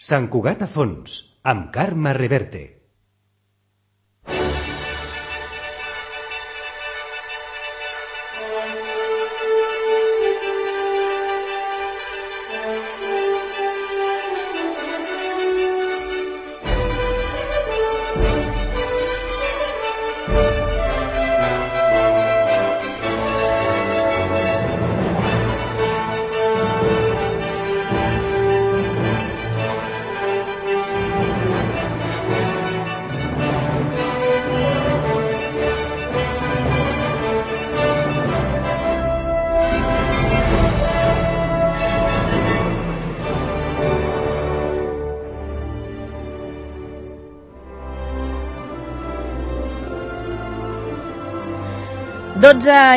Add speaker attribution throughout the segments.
Speaker 1: Sant Cugat a fons, amb Carme Reverte.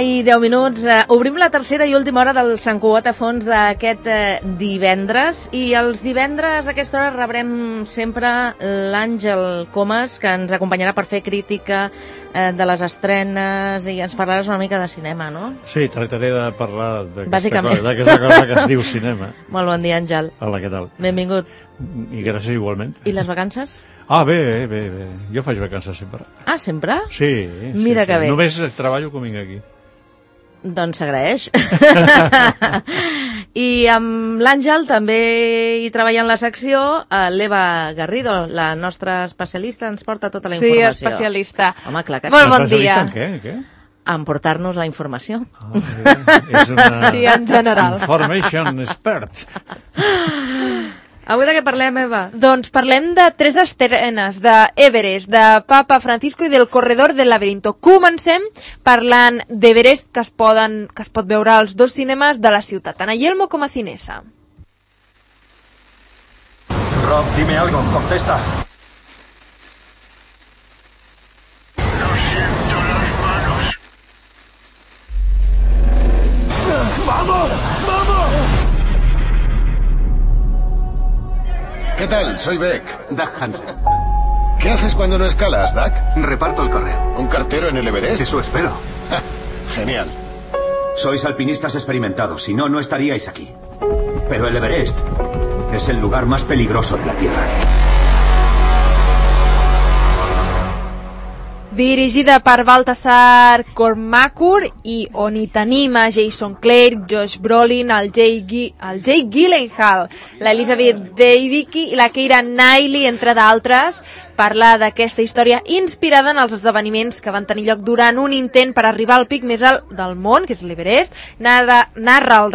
Speaker 2: I 10 minuts. Obrim la tercera i última hora del Sant Cugat a fons d'aquest divendres, i els divendres a aquesta hora rebrem sempre l'Àngel Comas, que ens acompanyarà per fer crítica de les estrenes, i ens parlaràs una mica de cinema, no?
Speaker 3: Sí, tractaré de parlar d'aquesta cosa que es diu cinema.
Speaker 2: Molt bon dia, Àngel.
Speaker 3: Hola, què tal?
Speaker 2: Benvingut.
Speaker 3: I gràcies igualment.
Speaker 2: I les vacances?
Speaker 3: Bé. Jo faig vacances sempre.
Speaker 2: Ah, sempre?
Speaker 3: Sí.
Speaker 2: Mira que bé.
Speaker 3: Només treballo quan vinc aquí.
Speaker 2: Doncs s'agraeix. I amb l'Àngel també hi treballa en la secció l'Eva Garrido, la nostra especialista, ens porta tota la informació.
Speaker 4: Sí, especialista.
Speaker 2: Home, clar que sí.
Speaker 4: Molt bon dia.
Speaker 3: En què?
Speaker 2: En portar-nos la informació.
Speaker 3: És una...
Speaker 4: Sí, en general.
Speaker 3: Information expert.
Speaker 2: Avui de què parlem, Eva?
Speaker 4: Doncs parlem de 3 estrenes, de Everest, de Papa Francisco i del Corredor del Laberinto. Comencem parlant d'Everest, que es pot veure als 2 cinemes de la ciutat, tant a Yelmo com a Cinesa.
Speaker 5: Rob, dime algo, contesta.
Speaker 6: No siento las manos.
Speaker 5: ¡Vamos!
Speaker 7: ¿Qué tal? Soy Beck.
Speaker 5: Doug Hansen.
Speaker 7: ¿Qué haces cuando no escalas, Doug?
Speaker 5: Reparto el correo.
Speaker 7: ¿Un cartero en el Everest?
Speaker 5: Eso espero.
Speaker 7: Genial.
Speaker 5: Sois alpinistas experimentados, si no, no estaríais aquí. Pero el Everest es el lugar más peligroso de la Tierra.
Speaker 4: Dirigida per Baltasar Kormákur i on hi tenim a Jason Clare, Josh Brolin, el Jake Gyllenhaal, l'Elizabeth Debicki i la Keira Knightley, entre d'altres. Parla d'aquesta història inspirada en els esdeveniments que van tenir lloc durant un intent per arribar al pic més alt del món, que és l'Everest. Narra el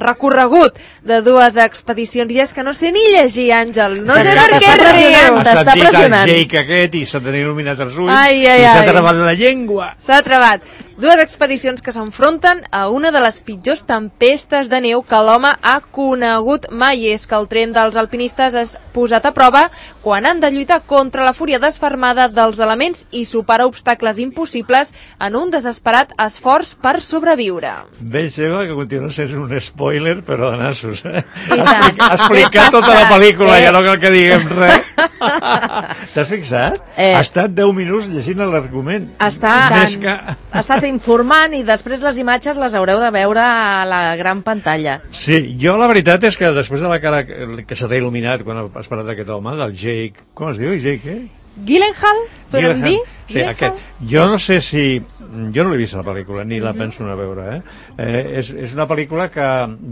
Speaker 4: recorregut de 2 expedicions, i és que no sé ni llegir, Àngel. No sé per què riu.
Speaker 3: Has sentit el Jake aquest i se t'han il·luminat els ulls.
Speaker 4: I
Speaker 3: s'ha travat la llengua.
Speaker 4: S'ha travat. 2 expedicions que s'enfronten a una de les pitjors tempestes de neu que l'home ha conegut mai. És que el tren dels alpinistes és posat a prova quan han de lluitar contra la fúria desfermada dels elements i superar obstacles impossibles en un desesperat esforç per sobreviure.
Speaker 3: Veig, Eva, que continua sent un spoiler, però de nassos, eh?
Speaker 4: Ha
Speaker 3: explicat tota la pel·lícula, ja no cal que diguem res. T'has fixat? Ha estat 10 minuts llegint l'argument.
Speaker 2: Ha estat informant, i després les imatges les haureu de veure a la gran pantalla.
Speaker 3: Sí, jo la veritat és que després de la cara que se t'ha il·luminat quan has parlat d'aquest home, del Jake... Com es diu? Jake,
Speaker 4: Gyllenhaal? Podem dir?
Speaker 3: Sí, aquest. Jo no sé si... Jo no l'he vist la pel·lícula, ni la penso anar a veure, és una pel·lícula que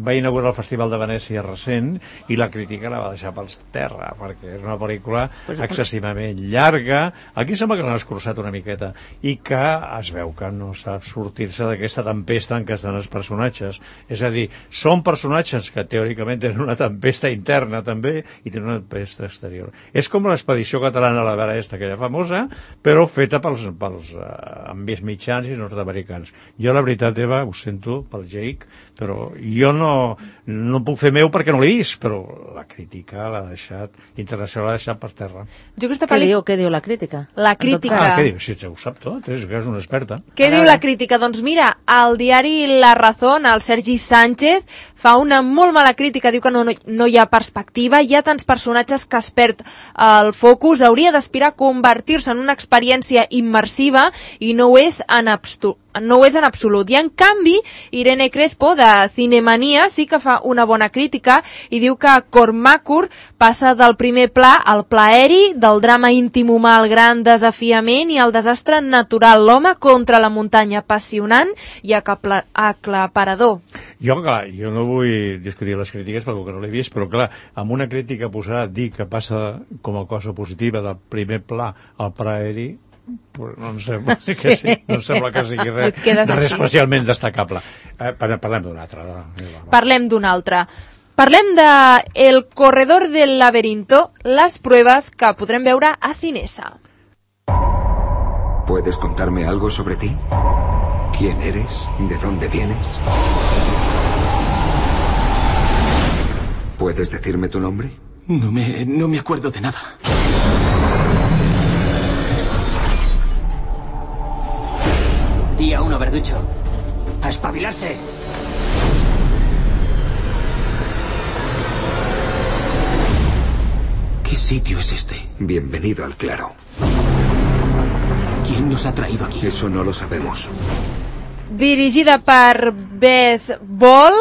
Speaker 3: va inaugurar el Festival de Venècia recent, i la crítica la va deixar pels terra, perquè és una pel·lícula excessivament llarga. Aquí sembla que l'han escurçat una miqueta, i que es veu que no sap sortir-se d'aquesta tempesta en què estan els personatges. És a dir, són personatges que teòricament tenen una tempesta interna també, i tenen una tempesta exterior. És com l'expedició catalana a l'Everest, aquella famosa, però feta pels envies mitjans i nord-americans. Jo, la veritat, Eva, ho sento pel Jake, però jo no puc fer meu perquè no l'he vist, però la crítica l'ha deixat, internacional l'ha deixat per terra.
Speaker 2: Què diu la crítica?
Speaker 4: La crítica.
Speaker 3: Què diu? Si ho sap tot, és que és una experta.
Speaker 4: Què diu la crítica? Doncs mira, al diari La Razón, el Sergi Sánchez fa una molt mala crítica, diu que no hi ha perspectiva, hi ha tants personatges que es perd el focus, hauria d'aspirar a convertir-se en una experiència immersiva i no ho és en no ho és en absolut. I en canvi, Irene Crespo, de Cinemania, sí que fa una bona crítica i diu que Cormacur passa del primer pla al pla aeri, del drama íntim humà al gran desafiament i al desastre natural, l'home contra la muntanya, apassionant i aclaparador.
Speaker 3: Jo no vull discutir les crítiques perquè no l'he vist, però clar, amb una crítica posada dir que passa com a cosa positiva del primer pla al pla aeri, no em sembla que sí, no em sembla que sigui res especialment destacable. Parlem d'un altre.
Speaker 4: Parlem d'un altre. Parlem de El corredor del laberinto, les pruebes que podrem veure a Cinesa.
Speaker 8: ¿Puedes contarme algo sobre ti? ¿Quién eres? ¿De dónde vienes? ¿Puedes decirme tu nombre?
Speaker 9: No me acuerdo de nada.
Speaker 10: Día 1, Verducho. ¡A espabilarse!
Speaker 9: ¿Qué sitio es este?
Speaker 8: Bienvenido al claro.
Speaker 9: ¿Quién nos ha traído aquí?
Speaker 8: Eso no lo sabemos.
Speaker 4: Dirigida per Bess Ball,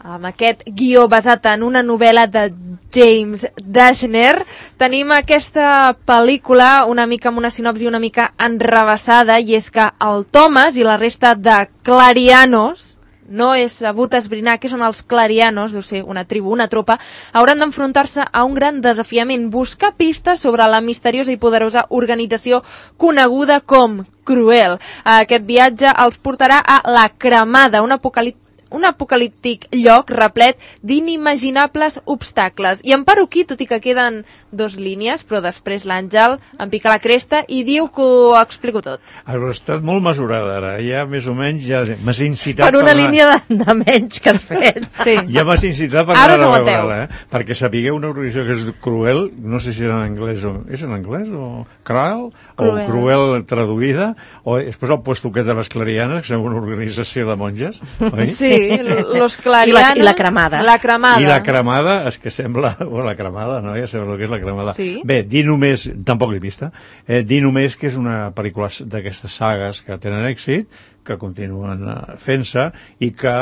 Speaker 4: amb aquest guió basat en una novel·la de James Dashner, tenim aquesta pel·lícula una mica amb una sinopsi una mica enrevessada, i és que el Thomas i la resta de clarianos, no és sabut esbrinar què són els clarianos, deu ser una tribu, una tropa, hauran d'enfrontar-se a un gran desafiament, buscar pistes sobre la misteriosa i poderosa organització coneguda com Cruel. Aquest viatge els portarà a la Cremada, un apocalíptic lloc replet d'inimaginables obstacles. I en paro aquí, tot i que queden 2 línies, però després l'Àngel em pica la cresta i diu que ho explico tot.
Speaker 3: Has estat molt mesurada ara, ja més o menys ja m'has incitat
Speaker 2: per una línia de menys que has fet.
Speaker 4: Sí.
Speaker 3: Ja m'has incitat per
Speaker 4: ara
Speaker 3: anar a veure-la, perquè sapigueu una organització que és Cruel, no sé si és en anglès o... És en anglès o Cruel? O Cruel traduïda, o després el puesto aquest de les clarianes, que és una organització de monges, oi?
Speaker 4: Sí, los clarianos.
Speaker 2: I la cremada.
Speaker 4: La cremada.
Speaker 3: I la cremada, és que sembla... O la cremada, no? Ja sabeu el que és la cremada.
Speaker 4: Sí.
Speaker 3: Bé, dir només... Tampoc l'he vista. Dir només que és una pel·lícula d'aquestes sagues que tenen èxit, que continuen fent-se, i que,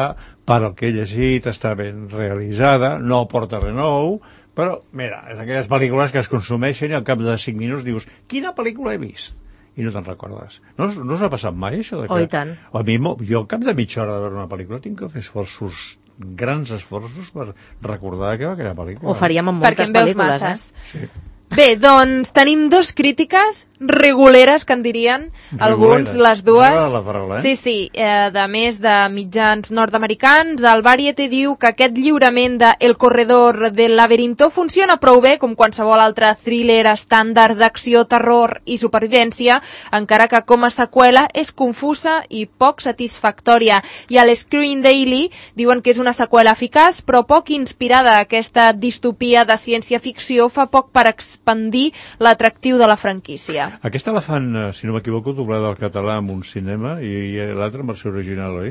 Speaker 3: per el que he llegit, està ben realitzada, no aporta res nou, però, mira, és aquelles pel·lícules que es consumeixen i al cap de 5 minuts dius, quina pel·lícula he vist? I no te'n recordes. No us ha passat mai, això? De que...
Speaker 2: Oh, i tant.
Speaker 3: A mi, jo al cap de mitja hora de veure una pel·lícula tinc que fer grans esforços per recordar que va aquella pel·lícula.
Speaker 2: Ho faríem amb moltes pel·lícules,
Speaker 4: masses. Sí. Bé, doncs tenim 2 crítiques reguleres, que en dirien alguns, les dues.
Speaker 3: Paraula,
Speaker 4: Sí, de més de mitjans nord-americans. El Variety diu que aquest lliurament de El corredor del laberinto funciona prou bé com qualsevol altre thriller estàndard d'acció, terror i supervivència, encara que com a seqüela és confusa i poc satisfactòria. I a l'Screen Daily diuen que és una seqüela eficaç, però poc inspirada. Aquesta distopia de ciència-ficció fa poc per expandir l'atractiu de la franquícia.
Speaker 3: Aquesta la fan, si no m'equivoco, doblada al català en un cinema i l'altra en versió original, oi?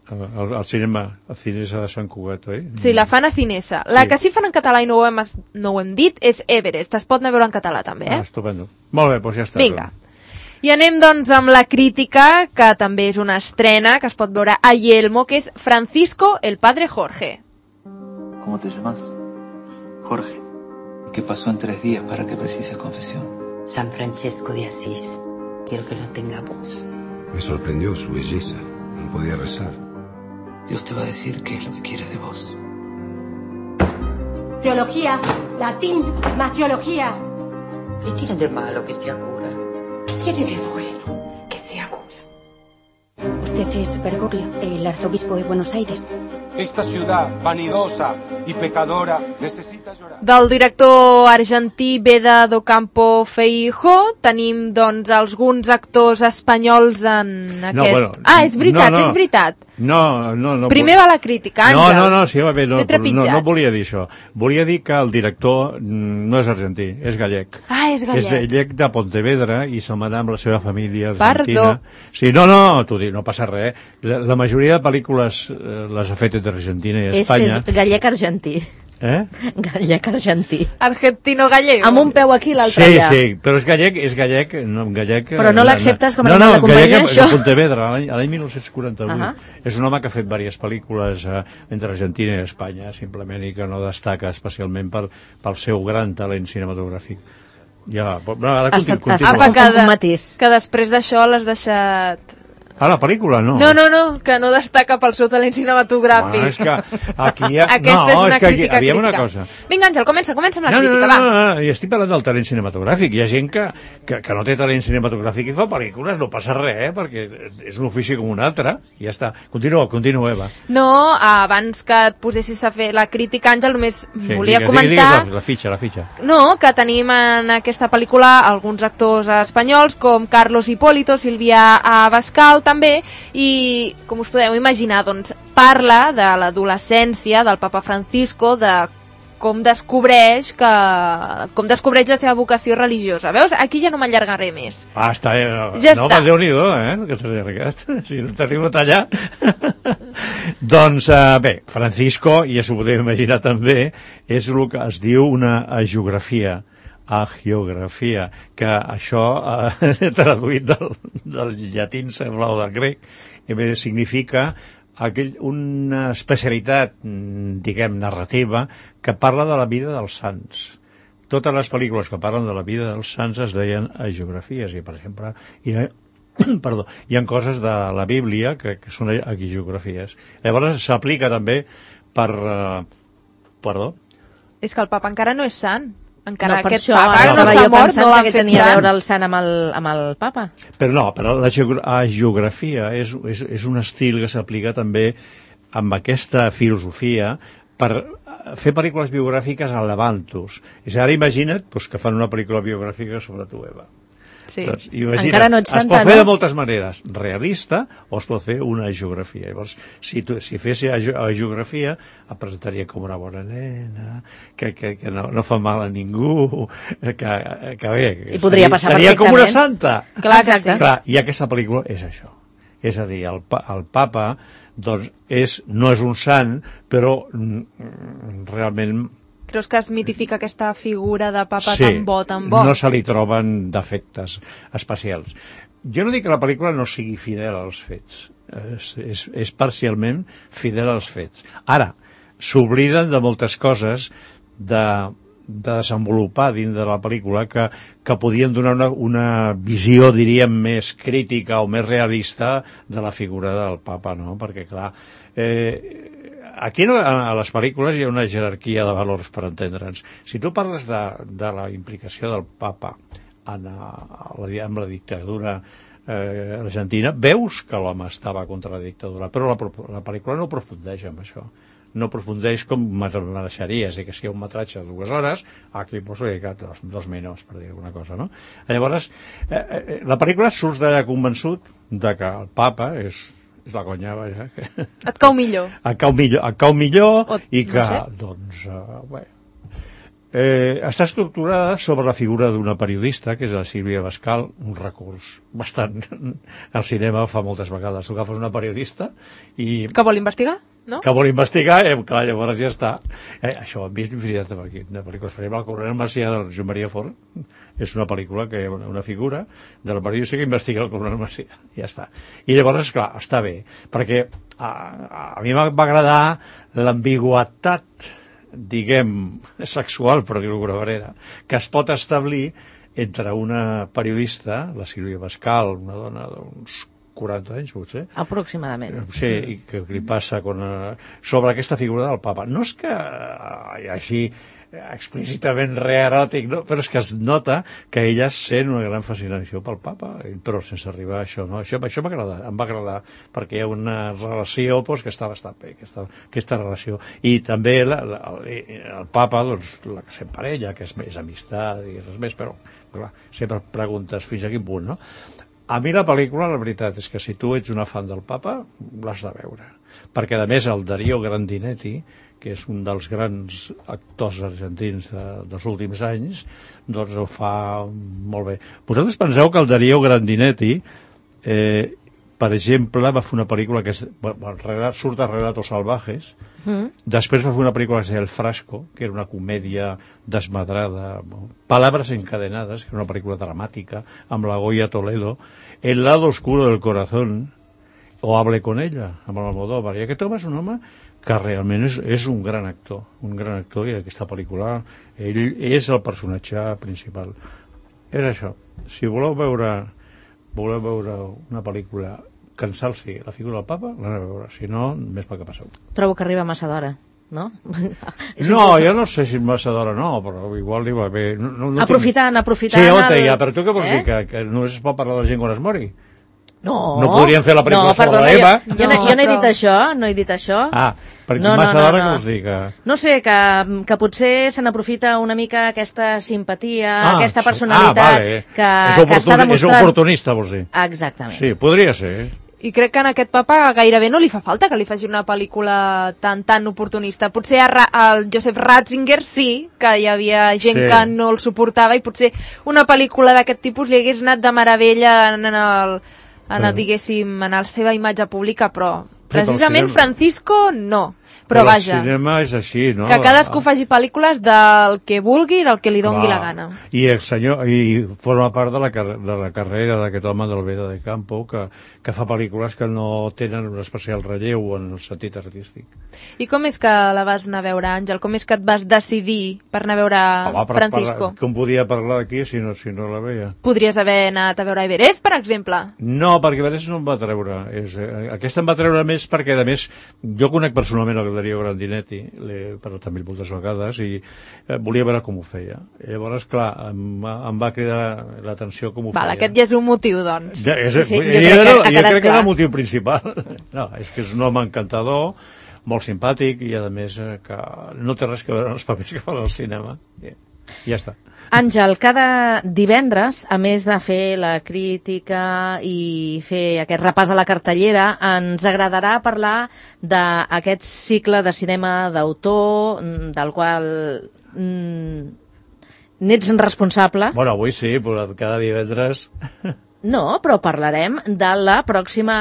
Speaker 3: El cinema, a Cinesa de Sant Cugat, oi?
Speaker 4: Sí, la fan a Cinesa. La que sí fan en català i no ho hem dit és Everest. Es pot anar a veure en català també, eh?
Speaker 3: Estupendo. Molt bé, doncs ja està.
Speaker 4: Vinga. I anem doncs amb la crítica, que també és una estrena, que es pot veure a Yelmo, que és Francisco, el padre Jorge.
Speaker 11: ¿Cómo te llamas? Jorge. ¿Y qué pasó en 3 días para que precises confesión?
Speaker 12: San Francesco de Asís. Quiero que lo tengamos.
Speaker 8: Me sorprendió su belleza. No podía rezar.
Speaker 11: Dios te va a decir qué es lo que quiere de vos.
Speaker 13: Teología, latín, más teología.
Speaker 12: ¿Qué tiene de malo que sea cura?
Speaker 13: ¿Qué tiene de bueno que sea cura?
Speaker 14: Usted es Bergoglio, el arzobispo de Buenos Aires.
Speaker 15: Esta ciudad vanidosa y pecadora necesita llorar.
Speaker 4: Del director argentí Beda do Campo Feijó tenim doncs alguns actors espanyols en aquest...
Speaker 3: No, bueno,
Speaker 4: és veritat, és veritat.
Speaker 3: No.
Speaker 4: Primer va la crítica, Àngel.
Speaker 3: No, sí, va bé, no volia dir això. Volia dir que el director no és argentí, és gallec.
Speaker 4: És gallec.
Speaker 3: És gallec de Pontevedra i se'n va anar amb la seva família argentina.
Speaker 4: Perdó.
Speaker 3: Sí, no, t'ho dic, no passa res. La majoria de pel·lícules les ha fet entre Argentina i Espanya.
Speaker 2: És gallec argentí. Gallec argentí.
Speaker 4: Argentino gallego.
Speaker 2: Amb un peu aquí i l'altre allà.
Speaker 3: Sí, però és gallec,
Speaker 2: Però no l'acceptes com a animal de companyia, això?
Speaker 3: No, de Pontevedra, l'any 1948. És un home que ha fet diverses pel·lícules entre Argentina i Espanya, simplement, i que no destaca especialment pel seu gran talent cinematogràfic. Ja, ara continua.
Speaker 4: Que després d'això l'has deixat...
Speaker 3: La pel·lícula, no.
Speaker 4: No, que no destaca pel seu talent cinematogràfic.
Speaker 3: És que aquí hi ha...
Speaker 4: Aquesta és una crítica.
Speaker 3: Aviam una cosa.
Speaker 4: Vinga, Àngel, comença amb la crítica, va.
Speaker 3: No, i estic parlant del talent cinematogràfic. Hi ha gent que no té talent cinematogràfic i fa pel·lícules, no passa res, perquè és un ofici com un altre. I ja està. Continua, Eva.
Speaker 4: No, abans que et posessis a fer la crítica, Àngel, només volia comentar...
Speaker 3: La fitxa.
Speaker 4: No, que tenim en aquesta pel·lícula alguns actors espanyols, com Carlos Hipólito, Sílvia Abascal, també, i com us podeu imaginar, doncs parla de l'adolescència del papa Francisco, de com descobreix la seva vocació religiosa. Veus? Aquí ja no m'allargaré més.
Speaker 3: Està,
Speaker 4: ja no,
Speaker 3: està. Déu-n'hi-do, que t'has allargat. Si no t'arribo a tallar. Doncs, bé, Francisco, ja s'ho podeu imaginar també, és el que es diu una hagiografia, que això, traduït del llatí, sembla, o del grec, significa una especialitat, diguem, narrativa, que parla de la vida dels sants. Totes les pel·lícules que parlen de la vida dels sants es deien hagiografies, i, per exemple, hi ha coses de la Bíblia que són hagiografies. Llavors s'aplica també per... Perdó?
Speaker 4: És que el papa encara no és sant. Encara
Speaker 2: no,
Speaker 4: aquest papa no s'ha mort, no l'han fet
Speaker 2: tenia a veure el sant amb el papa.
Speaker 3: Però la geografia és un estil que s'aplica també amb aquesta filosofia per fer pel·lícules biogràfiques a levantos. És ara imagina't que fan una pel·lícula biogràfica sobre tu, Eva.
Speaker 4: Sí.
Speaker 3: Doncs, encara no ets santa, es pot fer de moltes maneres, realista, o es pot fer una geografia. Llavors, si fes geografia, em presentaria com una bona nena, que no fa mal a ningú, que bé,
Speaker 2: i podria passar
Speaker 3: seria com una santa.
Speaker 4: Clar que sí.
Speaker 3: Clar, i aquesta pel·lícula és això. És a dir, el papa doncs, no és un sant, però realment...
Speaker 4: Creus que es mitifica aquesta figura de papa tan bo?
Speaker 3: No se li troben defectes especials. Jo no dic que la pel·lícula no sigui fidel als fets. És parcialment fidel als fets. Ara, s'obliden de moltes coses de desenvolupar dins de la pel·lícula que podien donar una visió, diríem, més crítica o més realista de la figura del papa, no? Perquè, clar... Aquí a les pel·lícules hi ha una jerarquia de valors, per entendre'ns. Si tu parles de la implicació del papa amb la dictadura argentina, veus que l'home estava contra la dictadura, però la pel·lícula no aprofundeix en això. No aprofundeix com mereixeria, és a dir, que si hi ha un metratge de 2 hores, aquí poso dedicat 2 minuts, per dir alguna cosa, no? Llavors, la pel·lícula surts d'allà convençut de que el papa és la conya, vaja.
Speaker 4: Et cau millor.
Speaker 3: Et cau millor i que, doncs, bé, està estructurada sobre la figura d'una periodista, que és la Sílvia Abascal, un recurs bastant... El cinema fa moltes vegades. Tu agafes una periodista i...
Speaker 4: Que vol investigar, no?
Speaker 3: Que vol investigar, clar, llavors ja està. Això ho hem vist infinitat de pel·lícules. Per exemple, el coronel Macià de Joan Maria Fort és una pel·lícula que hi ha una figura de la periodista que investiga el coronel Macià. Ja està. I llavors, clar, està bé, perquè a mi va agradar l'ambigüitat, diguem, sexual, per dir-ho d'alguna manera, que es pot establir entre una periodista, la Sílvia Abascal, una dona d'uns 40 anys, potser.
Speaker 2: Aproximadament.
Speaker 3: Sí, i que li passa sobre aquesta figura del papa. No és que hi hagi explícitament reeròtic, no? Però és que es nota que ella sent una gran fascinació pel papa, però sense arribar a això, no? Això em va agradar, perquè hi ha una relació que està bastant bé, aquesta relació. I també el papa, doncs, la que s'emparella, que és més amistat i res més, però, clar, sempre preguntes fins a quin punt, no? A mi la pel·lícula, la veritat, és que si tu ets una fan del papa, l'has de veure. Perquè, a més, el Darío Grandinetti, que és un dels grans actors argentins dels últims anys, doncs ho fa molt bé. Vosaltres penseu que el Darío Grandinetti per exemple, va fer una pel·lícula que surt a Relatos Salvajes, després va fer una pel·lícula que es deia El Frasco, que era una comèdia desmadrada, Palabras encadenadas, que era una pel·lícula dramàtica, amb la Goya Toledo, El lado oscuro del corazón, o Hable con ella, amb l'Almodóvar. I aquest home és un home que realment és un gran actor, i aquesta pel·lícula, ell és el personatge principal. És això. Si voleu veure una pel·lícula que ensalci la figura del papa, l'aneu a veure. Si no, més pel que passeu.
Speaker 2: Trobo que arriba massa d'hora, no?
Speaker 3: No, jo no sé si massa d'hora no, però igual li va bé.
Speaker 2: Aprofitant
Speaker 3: Sí, però tu què vols dir? Que només es pot parlar de la gent quan es mori?
Speaker 2: No.
Speaker 3: No podríem fer la pel·lícula sobre l'Eva?
Speaker 2: Jo no he dit això,
Speaker 3: Ah, perquè massa d'hora què vols dir?
Speaker 2: No sé, que potser se n'aprofita una mica aquesta simpatia, aquesta personalitat que està demostrant...
Speaker 3: És oportunista, vols dir?
Speaker 2: Exactament.
Speaker 3: Sí, podria ser.
Speaker 4: I crec que en aquest papa gairebé no li fa falta que li faci una pel·lícula tan oportunista. Potser al Joseph Ratzinger sí, que hi havia gent que no el suportava, i potser una pel·lícula d'aquest tipus li hagués anat de meravella en la seva imatge pública, però precisament Francisco no. Però vaja,
Speaker 3: el cinema és així, no?
Speaker 4: Que cadascú faci pel·lícules del que vulgui i del que li dongui la gana.
Speaker 3: I el senyor, i forma part de la carrera d'aquest home del Veda de Campo, que fa pel·lícules que no tenen un especial relleu en el sentit artístic.
Speaker 4: I com és que la vas anar a veure, Àngel? Com és que et vas decidir per anar a veure Francisco?
Speaker 3: Com podia parlar aquí si no la veia?
Speaker 4: Podries haver anat a veure Everest, per exemple?
Speaker 3: No, perquè Everest no em va treure. Aquesta em va treure més perquè, a més, jo conec personalment el Darío Grandinetti, però també moltes vegades, i volia veure com ho feia. Llavors, clar, em va cridar l'atenció com ho feia.
Speaker 4: Aquest ja és un motiu, doncs.
Speaker 3: Jo crec que és el motiu principal. No, és que és un home encantador, molt simpàtic, i a més que no té res que veure amb els papers que fan al cinema. I ja està.
Speaker 2: Àngel, cada divendres, a més de fer la crítica i fer aquest repàs a la cartellera, ens agradarà parlar d'aquest cicle de cinema d'autor, del qual n'ets responsable.
Speaker 3: Bueno, avui sí, però cada divendres...
Speaker 2: No, però parlarem de la pròxima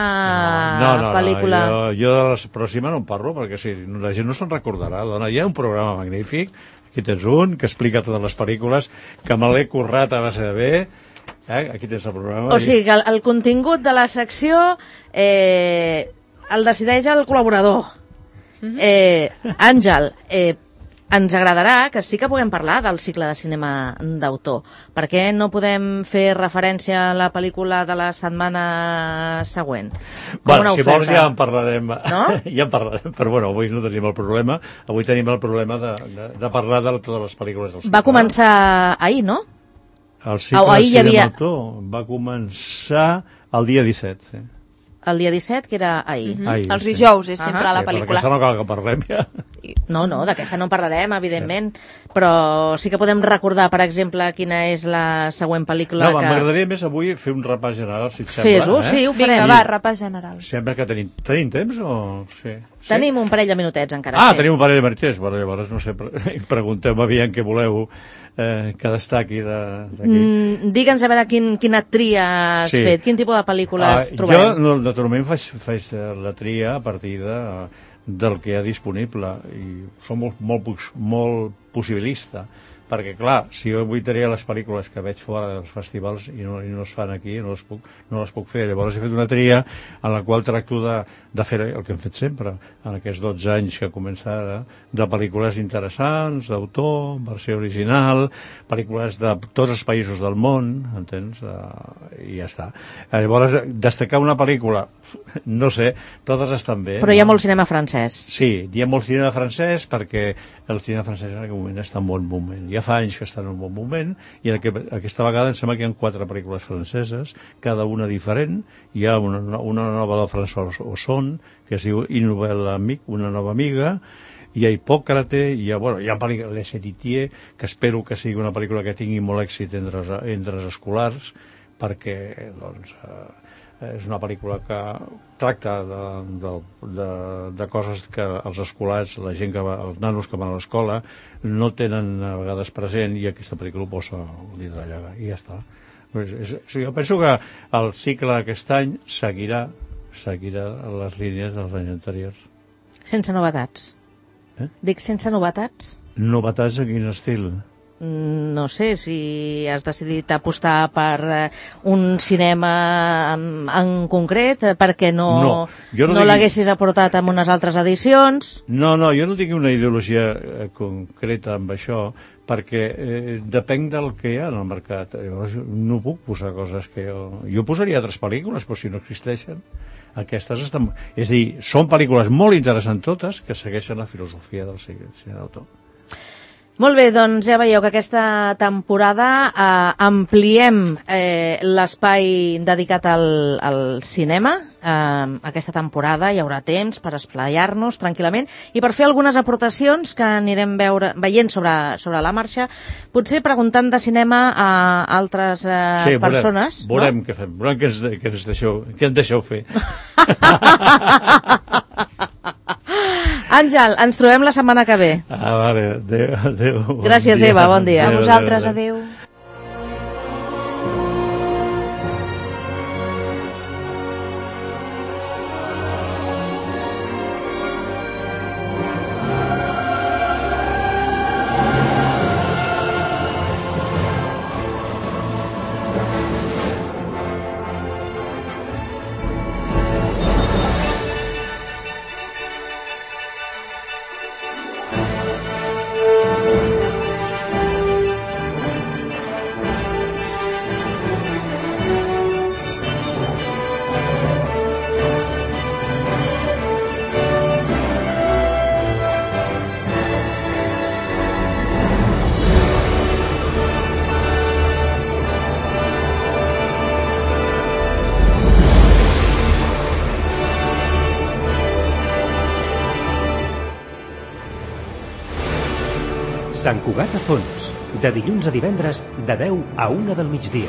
Speaker 2: pel·lícula.
Speaker 3: Jo de la pròxima no en parlo, perquè si la gent no se'n recordarà. Dona, hi ha un programa magnífic, aquí tens un, que explica totes les pel·lícules, que me l'he currat a base de bé. Aquí tens el programa.
Speaker 2: O sigui, que el contingut de la secció el decideix el col·laborador. Àngel, ens agradarà que sí que puguem parlar del cicle de cinema d'autor. Per què no podem fer referència a la pel·lícula de la setmana següent?
Speaker 3: Bueno, si vols ja en parlarem.
Speaker 2: No?
Speaker 3: Ja en parlarem, però bueno, avui no tenim el problema. Avui tenim el problema de parlar de totes les pel·lícules del cicle.
Speaker 2: Va començar ahir, no?
Speaker 3: El cicle de cinema d'autor va començar el dia 17, sí.
Speaker 2: El dia 17, que era ahir.
Speaker 4: Els dijous és sempre la pel·lícula.
Speaker 3: D'aquesta no cal que parlem ja.
Speaker 2: No, d'aquesta no parlarem, evidentment, però sí que podem recordar, per exemple, quina és la següent pel·lícula que...
Speaker 3: M'agradaria més avui fer un repàs general, si et sembla.
Speaker 2: Fes-ho, sí, ho farem.
Speaker 4: Vinga, va, repàs general.
Speaker 3: Sembla que tenim temps o...? Sí.
Speaker 2: Tenim un parell de minutets encara.
Speaker 3: Tenim un parell de minutets. Bueno, llavors, no sé, pregunteu-me aviam què voleu que destaqui d'aquí.
Speaker 2: Digue'ns a veure quina tria has fet, quin tipus de pel·lícules trobem.
Speaker 3: Jo, naturalment, faig la tria a partir del que hi ha disponible, i som molt possibilista, perquè, clar, si jo vull triar les pel·lícules que veig fora dels festivals i no es fan aquí, no les puc fer. Llavors he fet una tria en la qual tracto de fer el que hem fet sempre, en aquests 12 anys que comença ara, de pel·lícules interessants, d'autor, versió original, pel·lícules de tots els països del món, entens? I ja està. Llavors, destacar una pel·lícula, no sé, totes estan bé.
Speaker 2: Però hi ha molt cinema francès.
Speaker 3: Sí, hi ha molt cinema francès perquè el cinema francès en aquest moment està en bon moment. Ja fa anys que està en un bon moment, i aquesta vegada em sembla que hi ha 4 pel·lícules franceses, cada una diferent. Hi ha una nova de François Ozon, que es diu Une nouvelle amique, una nova amiga, hi ha Hipòcrate, hi ha pel·lícula Les Héritiers, que espero que sigui una pel·lícula que tingui molt èxit entre els escolars, perquè, doncs... és una pel·lícula que tracta de coses que els escolars, la gent els nanos que van a l'escola, no tenen a vegades present, i aquesta pel·lícula ho posa al dit de la llaga, i ja està. Jo penso que el cicle aquest any seguirà seguirà les línies dels anys anteriors.
Speaker 2: Sense novetats. Dic sense novetats?
Speaker 3: Novetats en quin estil?
Speaker 2: No sé si has decidit apostar per un cinema en concret, perquè no l'haguessis aportat en unes altres edicions.
Speaker 3: No, jo no tinc una ideologia concreta amb això, perquè depèn del que hi ha en el mercat. Llavors no puc posar coses que jo posaria altres pel·lícules, però si no existeixen, aquestes estan... És a dir, són pel·lícules molt interessants totes que segueixen la filosofia del cine d'autor.
Speaker 2: Molt bé, doncs ja veieu que aquesta temporada ampliem l'espai dedicat al cinema. Aquesta temporada hi haurà temps per esplaiar-nos tranquil·lament i per fer algunes aportacions que anirem veient sobre la marxa, potser preguntant de cinema a altres persones.
Speaker 3: Veurem què fem, veurem què ens deixeu fer.
Speaker 2: Àngel, ens trobem la setmana que ve.
Speaker 3: Vale, adéu.
Speaker 2: Gràcies, Eva, bon dia.
Speaker 4: A vosaltres, adéu.
Speaker 1: Sant Cugat a Fons, de dilluns a divendres, de 10 a 1 del migdia.